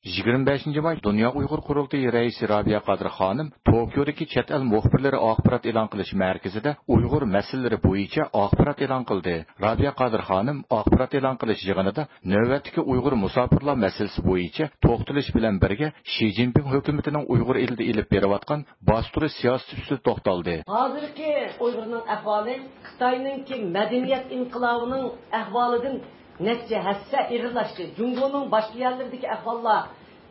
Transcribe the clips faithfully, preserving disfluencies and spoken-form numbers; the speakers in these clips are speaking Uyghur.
يىگىرمە بەشىنچى ماي دۇنيا ئۇيغۇر قۇرۇلتىيى رەئىسى رابىيە قادىر خانىم توكيودىكى چەت ئەل مۇخبىرلىرى ئاخبارات ئېلان قىلىش مەركىزىدە ئۇيغۇر مەسىلىلىرى بويىچە ئاخبارات ئېلان قىلدى. رابىيە قادىر خانىم ئاخبارات ئېلان قىلىش يىغىنىدا نۆۋەتتىكى ئۇيغۇر مۇساپىرلار مەسىلىسى بويىچە توختىلىش بىلەن بىرگە، شى جىنپىڭ ھۆكۈمىتىنىڭ ئۇيغۇر ئېلىدە ئېلىپ بېرىۋاتقان باستۇرۇش سىياسىتى ئۈستىدە توختالدى. ھازىرقى ئۇيغۇرنىڭ ئەھۋالى خىتاينىڭكى مەدەنىيەت ئىنقىلابىنىڭ ئەھۋالىدىن نەچچە ھەسسە ئېغىرلاشتى. جۇڭگونىڭ باشقا يەرلىرىدىكى ئەھۋاللار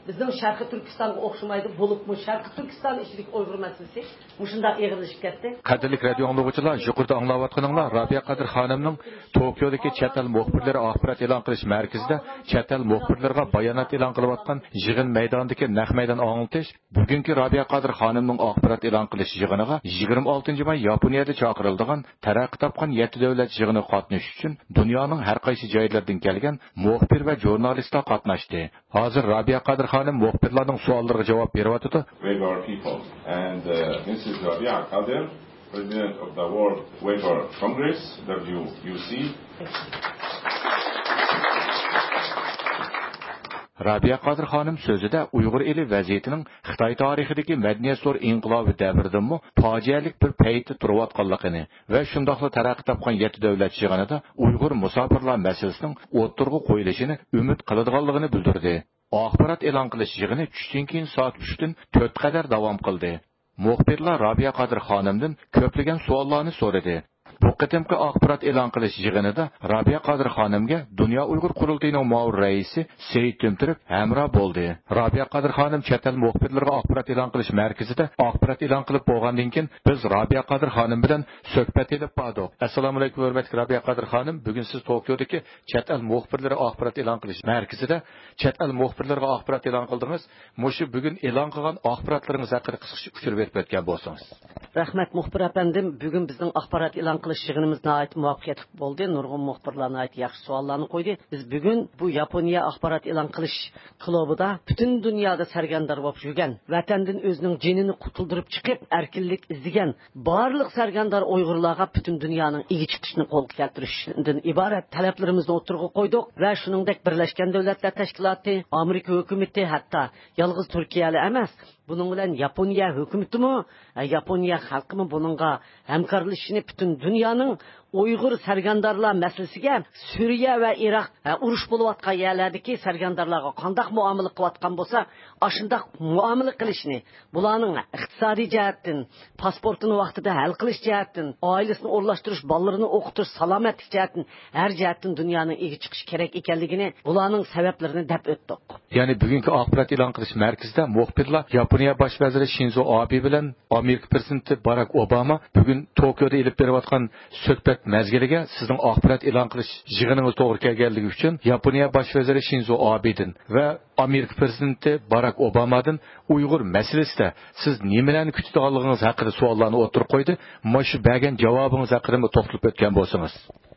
بىزنىڭ شەرقىي تۈركىستانغا ئوخشىمايدۇ. بولۇپمۇ شەرقىي تۈركىستان ئىچىدىكى ئۇيغۇر مەسىلىسى مۇشۇنداق ئېغىرلىشىپ كەتتى. قەدىرلىك رادىئو ئاڭلىغۇچىلار، يۇقىرىدا ئاڭلاۋاتقىنىڭلار رابىيە قادىر خانىمنىڭ توكيودىكى چەت ئەل مۇخبىرلىرى ئاخبارات ئېلان قىلىش مەركىزىدە چەت ئەل مۇخبىرلىرىغا بايانات ئېلان قىلىۋاتقان يىغىن مەيدانىدىكى نەق مەيدان ئاڭلىتىش. بۈگۈنكى رابىيە قادىر خانىمنىڭ ئاخبارات ئېلان قىلىش يىغىنىغا يىگىرمە ئالتىنچى ماي ياپونىيەدە چاقىرىلىدىغان تەرەققىي تاپقان يەتتە دۆلەت يىغىنىغا قاتنىشىش ئۈچۈن دۇنيانىڭ ھەر قايسى جايلىرىدىن كەلگەن مۇخبىر ۋە ژۇرنالىستلار قاتناشتى. ھازىر رابىيە قادىر خانىم مۇخبىرلارنىڭ سوئاللىرىغا جاۋاب بېرىۋاتىدۇ. Uyghur people. And uh, Missus Rabia Kadir, President of the World Uyghur Congress, W U C. رابىيە قادىر خانىم سۆزىدە ئۇيغۇر ئېلى ۋەزىيىتىنىڭ خىتاي تارىخىدىكى مەدەنىيەت زور ئىنقىلابى دەۋرىدىنمۇ پاجىئەلىك بىر پەيتتە تۇرۇۋاتقانلىقىنى ۋە شۇنداقلا تەرەققىي تاپقان يەتتە دۆلەت يىغىنىدا ئۇيغۇر مۇساپىرلار مەسىلىسىنىڭ ئوتتۇرىغا قويۇلۇشىنى ئۈمىد قىلىدىغانلىقىنى بىلدۈردى. ئاخبارات ئېلان قىلىش يىغىنى چۈشتىن كېيىن سائەت ئۈچتىن تۆت قەدەر داۋام قىلدى. مۇخبىرلار رابىيە قادىر خانىمدىن كۆپلىگەن سوئاللارنى سورىدى. بۇ قېتىمقى ئاخبارات ئېلان قىلىش يىغىنىدا رابىيە قادىر خانىمگە دۇنيا ئۇيغۇر قۇرۇلتىيىنىڭ مۇئاۋىن رەئىسى سېيىت تۈمتۈرك ھەمراھ بولدى. رابىيە قادىر خانىم چەت ئەل مۇخبىرلىرىغا ئاخبارات ئېلان قىلىش مەركىزىدە ئاخبارات ئېلان قىلىپ بولغاندىن كېيىن، بىز رابىيە قادىر خانىم بىلەن سۆھبەت ئېلىپ باردۇق. ئەسسالامۇئەلەيكۇم، ھۆرمەتلىك رابىيە قادىر خانىم، بۈگۈن سىز توكيودىكى چەت ئەل مۇخبىرلىرى ئاخبارات ئېلان قىلىش مەركىزىدە چەت ئەل مۇخبىرلىرىغا ئاخبارات ئېلان قىلدىڭىز. مۇشۇ بۈگۈن ئېلان قىلغان ئاخباراتلىرىڭىز ھەققىدە قىسقىچە ئۇچۇر بېرىپ ئۆتكەن بولسىڭىز. رەھمەت، مۇخبىر ئەپەندىم. بۈگۈن بىزنىڭ ئاخبارات ئېلان قىلىش يىغىنىمىز ناھايىتى مۇۋەپپەقىيەتلىك بولدى. نۇرغۇن مۇخبىرلار ناھايىتى ياخشى سوئاللارنى قويدى. بىز بۈگۈن بۇ ياپونىيە ئاخبارات ئېلان قىلىش كۇلۇبىدا پۈتۈن دۇنيادا سەرگەردان بولۇپ يۈرگەن، ۋەتەندىن ئۆزىنىڭ جېنىنى قۇتۇلدۇرۇپ چىقىپ، ئەركىنلىك ئىزدىگەن بارلىق سەرگەردان ئۇيغۇرلارغا پۈتۈن دۇنيانىڭ ئىگە چىقىشىنى قولغا كەلتۈرۈشتىن ئىبارەت تەلەپلىرىمىزنى ئوتتۇرىغا قويدۇق ۋە شۇنىڭدەك بىرلەشكەن دۆلەتلەر تەشكىلاتى، ئامېرىكا ھۆكۈمىتى، ھەتتا يالغۇز تۈركىيەلا ئەمەس، بۇنىڭ بىلەن ياپونىيە ھۆكۈمىتىمۇ، ئە، ياپونىيە خەلقىمۇ بۇنىڭغا ھەمكارلىشىشنى پۈتۈن دۇنيانىڭ ئۇيغۇر سەرگەردانلار مەسىلىسىگە سۈرىيە ۋە ئىراق، ئە، ئۇرۇش بولۇۋاتقان يەرلەردىكى سەرگەردانلارغا قانداق مۇئامىلە قىلىۋاتقان بولسا، ئاشۇنداق مۇئامىلە قىلىشنى، بۇلارنىڭ ئىقتىسادىي جەھەتتىن، پاسپورتىنى ۋاقتىدا ھەل قىلىش جەھەتتىن، ئائىلىسىنى ئورۇنلاشتۇرۇش، بالىلىرىنى ئوقۇتۇش، سالامەتلىك جەھەتتىن ھەر جەھەتتىن دۇنيانىڭ ئىگە چىقىشى كېرەك ئىكەنلىكىنى، بۇلارنىڭ سەۋەبلىرىنى دەپ ئۆتتۇق. يەنى بۈگۈنكى ئاخبارات ئېلان قىلىش مەركىزىدە مۇخبىرلار ياپونىيە باش ۋەزىرى شىنزو ئابې بىلەن ئامېرىكا پرېزىدېنتى باراك ئوباما بۈگۈن توكيودا ئېلىپ بېرىۋاتقان سۆھبەت مەزگىلىگە سىزنىڭ ئاخبارات ئېلان قىلىش يىغىنىڭىز توغرا كەلگەنلىكى ئۈچۈن ياپونىيە باش ۋەزىرى شىنزو ئابېدىن ۋە ئامېرىكا پرېزىدېنتى باراك ئوبامادىن ئۇيغۇر مەسىلىسىدە سىز نېمىلەرنى كۈتىدىغانلىقىڭىز ھەققىدە سوئاللارنى ئوتتۇرىغا قويدى. مانا شۇ بەرگەن جاۋابىڭىز ھەققىدىمۇ توختىلىپ ئۆتكەن بولسىڭىز.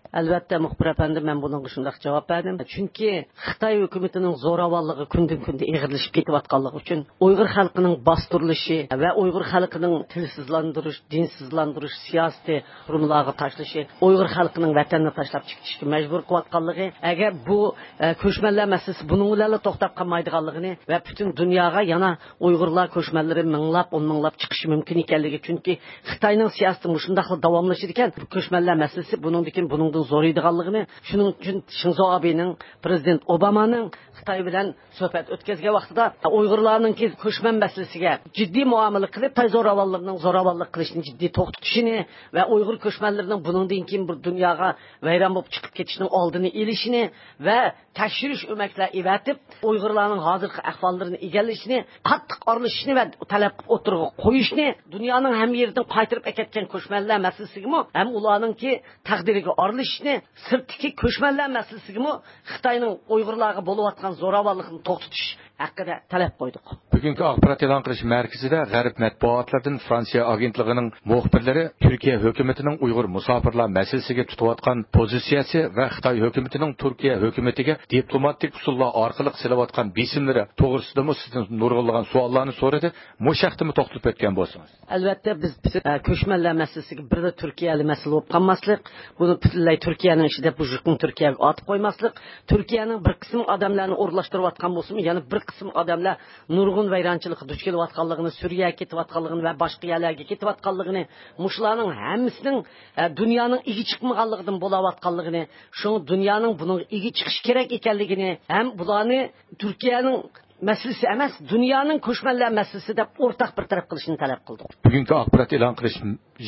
ئەلۋەتتە، مۇخبىر ئەپەندى، مەن بۇنىڭغا شۇنداق جاۋاب بەردىم. چۈنكى خىتاي ھۆكۈمىتىنىڭ زوراۋانلىقى كۈندىن-كۈندە ئېغىرلىشىپ كېتىۋاتقانلىقى ئۈچۈن، ئۇيغۇر خەلقىنىڭ باستۇرۇلۇشى ۋە ئۇيغۇر خەلقىنىڭ تىلسىزلاندۇرۇش، دىنسىزلاندۇرۇش سىياسىتى تۈرمىلەرگە تاشلىشى، ئۇيغۇر خەلقىنىڭ ۋەتەننى تاشلاپ چىقىشقا مەجبۇر قىلىۋاتقانلىقى، ئەگەر بۇ، ئە، كۆچمەنلەر مەسىلىسى بۇنىڭ بىلەنلا توختاپ قالمايدىغانلىقىنى ۋە پۈتۈن دۇنياغا يەنە ئۇيغۇرلار كۆچمەنلىرى مىڭلاپ، ئون مىڭلاپ چىقىشى مۇمكىن ئىكەنلىكى، چۈنكى خىتاينىڭ سىياسىتى مۇشۇنداقلا داۋاملىشىدىكەن، كۆچمەنلەر مەسىلىسى بۇنىڭدىن كېيىن بۇنىڭدىن زورىيىدىغانلىقىنى، شۇنىڭ ئۈچۈن شىنزو ئابېنىڭ، پرېزىدېنت ئوبامانىڭ خىتاي بىلەن سۆھبەت ئۆتكۈزگەن ۋاقتىدا ئۇيغۇرلارنىڭكى كۆچمەن مەسىلىسىگە جىددىي مۇئامىلە قىلىپ، خىتاي زوراۋانلىرىنىڭ زوراۋانلىق قىلىشىنى جىددىي توختىتىشىنى ۋە ئۇيغۇر كۆچمەنلىرىنىڭ بۇنىڭدىن كېيىن بۇ دۇنياغا ۋەيران بولۇپ چىقىپ كېتىشىنىڭ ئالدىنى ئېلىشىنى ۋە تەكشۈرۈش ئۆمەكلەر ئېۋەتىپ، ئۇيغۇرلارنىڭ ھازىرقى ئەھۋاللىرىنى ئىگىلىشىنى، قاتتىق ئارىلىشىشنى ۋە تەلەپ ئوتتۇرىغا قويۇشنى، دۇنيانىڭ ھەممە يېرىدىن قايتۇرۇپ ئەكەتكەن كۆچمەنلەر مەسىلىسىگىمۇ ھەم ئۇلارنىڭكى تەقدىرىگە ئارىلىشىشنى، سىرتتىكى كۆچمەنلەر مەسىلىسىگىمۇ خىتاينىڭ ئۇيغۇرلارغا بولۇۋاتقان زوراۋانلىقىنى توختىتىش ھەققىدە تەلەپ قويدۇق. بۈگۈنكى ئاخبارات ئېلان قىلىش مەركىزىدە غەرب مەتبۇئاتلىرىدىن فرانسىيە ئاگېنتلىقىنىڭ مۇخبىرلىرى تۈركىيە ھۆكۈمىتىنىڭ ئۇيغۇر مۇساپىرلار مەسىلىسىگە تۇتۇۋاتقان پوزىتسىيەسى ۋە خىتاي ھۆكۈمىتىنىڭ تۈركىيە ھۆكۈمىتىگە دىپلوماتىك ئۇسۇللار ئارقىلىق سېلىۋاتقان بېسىملىرى توغرىسىدىمۇ سىزدىن نۇرغۇنلىغان سوئاللارنى سورىدى. مۇشۇ ھەقتىمۇ توختىلىپ ئۆتكەن بولسىڭىز. ئەلۋەتتە، بىز، ئە، كۆچمەنلەر مەسىلىسىگە بىرلا تۈركىيەلىك مەسىلە بولۇپ قالماسلىق، بۇنى پۈتۈنلەي تۈركىيەنىڭ ئىچىدە بۇ يۈكنى تۈركىيەگە ئارتىپ قويماسلىق، تۈركىيەنىڭ بىر قىسىم ئادەملەرنى ئورۇنلاشتۇرۇۋاتقان بولسىمۇ، يەنە بىر قىسىم ئادەملەر نۇرغۇن ۋەيرانچىلىققا دۇچ كېلىۋاتقانلىقىنى، سۈرىيەگە كېتىۋاتقانلىقىنى ۋە باشقا يەرلەرگە كېتىۋاتقانلىقىنى، مۇشۇلارنىڭ ھەممىسىنىڭ، ئە، دۇنيانىڭ ئىگە چىقمىغانلىقىدىن بولاۋاتقانلىقىنى، شۇڭا دۇنيانىڭ بۇنىڭغا ئىگە چىقىشى كېرەك ئىكەنلىكىنى ھەم بۇلارنى تۈركىيەنىڭ مەسىلىسى ئەمەس، دۇنيانىڭ كۆچمەنلەر مەسىلىسى دەپ ئورتاق بىر تەرەپ قىلىشنى تەلەپ قىلدۇق. بۈگۈنكى ئاخبارات ئېلان قىلىش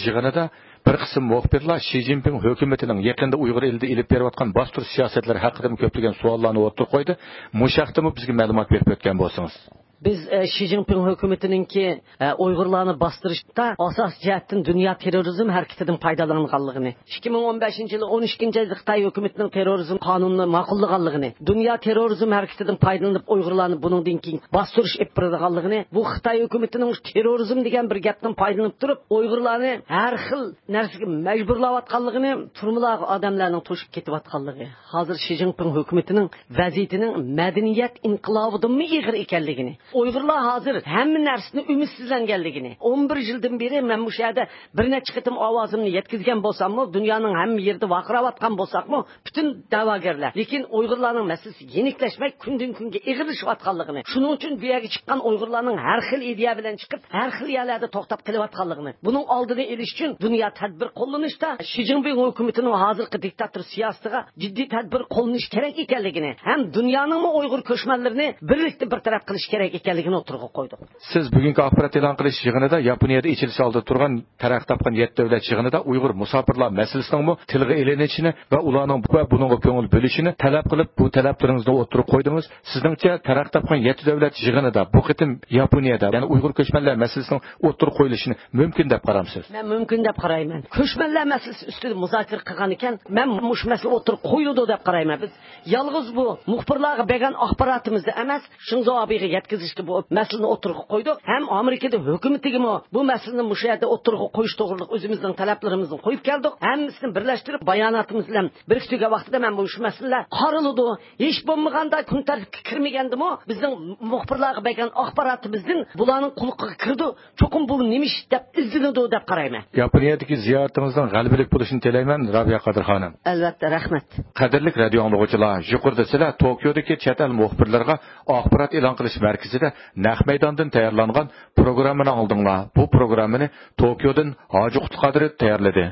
يىغىنىدا بىر قىسىم مۇخبىرلار شى جىنپىڭ ھۆكۈمىتىنىڭ يېقىندا ئۇيغۇر ئېلىدە ئېلىپ بېرىۋاتقان باستۇرۇش سىياسەتلىرى ھەققىدىمۇ كۆپلىگەن سوئاللارنى ئوتتۇرىغا قويدى. مۇشۇ ھەقتىمۇ بىزگە مەلۇمات بېرىپ ئۆتكەن بولسىڭىز. بىز، ئە، شى جىنپىڭ ھۆكۈمىتىنىڭكى، ئە، ئۇيغۇرلارنى باستۇرۇشتا ئاساسىي جەھەتتىن دۇنيا تېررورىزم ھەرىكىتىدىن پايدالانغانلىقىنى، ئىككى مىڭ ئون بەشىنچى يىلى ئون ئىككىنچى ئايدا خىتاي ھۆكۈمىتىنىڭ تېررورىزم قانۇنىنى ماقۇللىغانلىقىنى، دۇنيا تېررورىزم ھەرىكىتىدىن پايدىلىنىپ ئۇيغۇرلارنى بۇنىڭدىن كېيىن باستۇرۇش ئېلىپ بېرىدىغانلىقىنى، بۇ خىتاي ھۆكۈمىتىنىڭ تېررورىزم دېگەن بىر گەپتىن پايدىلىنىپ تۇرۇپ، ئۇيغۇرلارنى ھەر خىل نەرسىگە مەجبۇرلاۋاتقانلىقىنى، تۈرمىلەرگە ئادەملەرنىڭ توشۇپ كېتىۋاتقانلىقى. ھازىر شى جىنپىڭ ھۆكۈمىتىنىڭ ۋەزىيىتىنىڭ مەدەنىيەت ئىنقىلابىدىنمۇ ئېغىر ئىكەنلىكىنى، ئۇيغۇرلار ھازىر ھەممە نەرسىدىن ئۈمىدسىزلەنگەنلىكىنى، ئون بىر يىلدىن بېرى مەن مۇشۇ يەردە بىر نەچچە قېتىم ئاۋازىمنى يەتكۈزگەن بولساممۇ، دۇنيانىڭ ھەممە يېرىدە ۋارقىراۋاتقان بولساقمۇ، پۈتۈن دەۋاگەرلەر، لېكىن ئۇيغۇرلارنىڭ مەسىلىسى يېنىكلەشمەي، كۈندىن-كۈنگە ئېغىرلىشىۋاتقانلىقىنى، شۇنىڭ ئۈچۈن بۇ يەرگە چىققان ئۇيغۇرلارنىڭ ھەر خىل ئىدىيە بىلەن چىقىپ، ھەر خىل يەرلەردە توختاپ قېلىۋاتقانلىقىنى، بۇنىڭ ئالدىنى ئېلىش ئۈچۈن دۇنيا تەدبىر قوللىنىشتا شى جىنپىڭ ھۆكۈمىتىنىڭ ھازىرقى دىكتاتور سىياسىتىغا جىددىي تەدبىر قوللىنىش كېرەك ئىكەنلىكىنى ھەم دۇنيانىڭمۇ ئۇيغۇر كۆچمەنلىرىنى بىرلىكتە بىر تەرەپ قىلىش كېرەك ئىكەنلىكىنى ئوتتۇرىغا قويدۇق. سىز بۈگۈنكى ئاخبارات ئېلان قىلىش يىغىنىدا ياپونىيەدە ئېچىلىش ئالدىدا تۇرغان تەرەققىي تاپقان يەتتە دۆلەت يىغىنىدا ئۇيغۇر مۇساپىرلار مەسىلىسىنىڭمۇ تىلغا ئېلىنىشىنى ۋە ئۇلارنىڭ بۇ ۋە بۇنىڭغا كۆڭۈل بۆلۈشىنى تەلەپ قىلىپ، بۇ تەلەپلىرىڭىزنى ئوتتۇرىغا قويدىڭىز. سىزنىڭچە، تەرەققىي تاپقان يەتتە دۆلەت يىغىنىدا بۇ قېتىم ياپونىيەدە، يەنى ئۇيغۇر كۆچمەنلەر مەسىلىسىنىڭ ئوتتۇرىغا قويۇلۇشىنى مۇمكىن دەپ قارامسىز؟ مەن مۇمكىن دەپ قارايمەن. كۆچمەنلەر مەسىلىسى ئۈستىدە مۇزاكىرە قىلغان ئىكەن، مەن مۇشۇ مەسىلە ئوتتۇرىغا قويۇلىدۇ دەپ قارايمەن. بىز يالغۇز بۇ مۇخبىرلارغا بەرگەن ئاخباراتىمىزدا ئەمەس، شىنزو ئابېغا يەتكۈزۈشكە بۇ مەسىلىنى ئوتتۇرىغا قويدۇق. ھەم ئامېرىكىدا ھۆكۈمىتىگىمۇ بۇ مەسىلىنى مۇشۇ يەردە ئوتتۇرىغا قويۇش توغرىلىق ئۆزىمىزنىڭ تەلەپلىرىمىزنى قويۇپ كەلدۇق. ھەممىسىنى بىرلەشتۈرۈپ، باياناتىمىز بىلەن بىرىكتۈرگەن ۋاقتىدا مەن مۇشۇ مەسىلىلەر قارىلىدۇ. ھېچ بولمىغاندا كۈن تەرتىپكە كىرمىگەندىمۇ بىزنىڭ مۇخبىرلارغا بەرگەن ئاخباراتىمىزدىن بۇلارنىڭ قۇلىقىغا كىرىدۇ. چوقۇم بۇ نېمە ئىش دەپ ئىزدىنىدۇ دەپ قارايمەن. ياپونىيەدىكى زىيارىتىڭىزنىڭ غەلىبىلىك بولۇشىنى تىلەيمەن، رابىيە قادىر خانىم. ئەلۋەتتە، رەھمەت. قەدىرلىك رادىيو ئاڭلىغۇچىلار، يۇقىرىدا سىلەر توكيودىكى چەت ئەل مۇخبىرلىرىغا ئاخبارات ئېلان قىلىش مەركىزىدە نەق مەيداندىن تەييارلانغان پروگراممىنى ئاڭلىدىڭلار. بۇ پروگراممىنى توكيودىن ھاجى قۇتلۇق قادىر تەييارلىدى.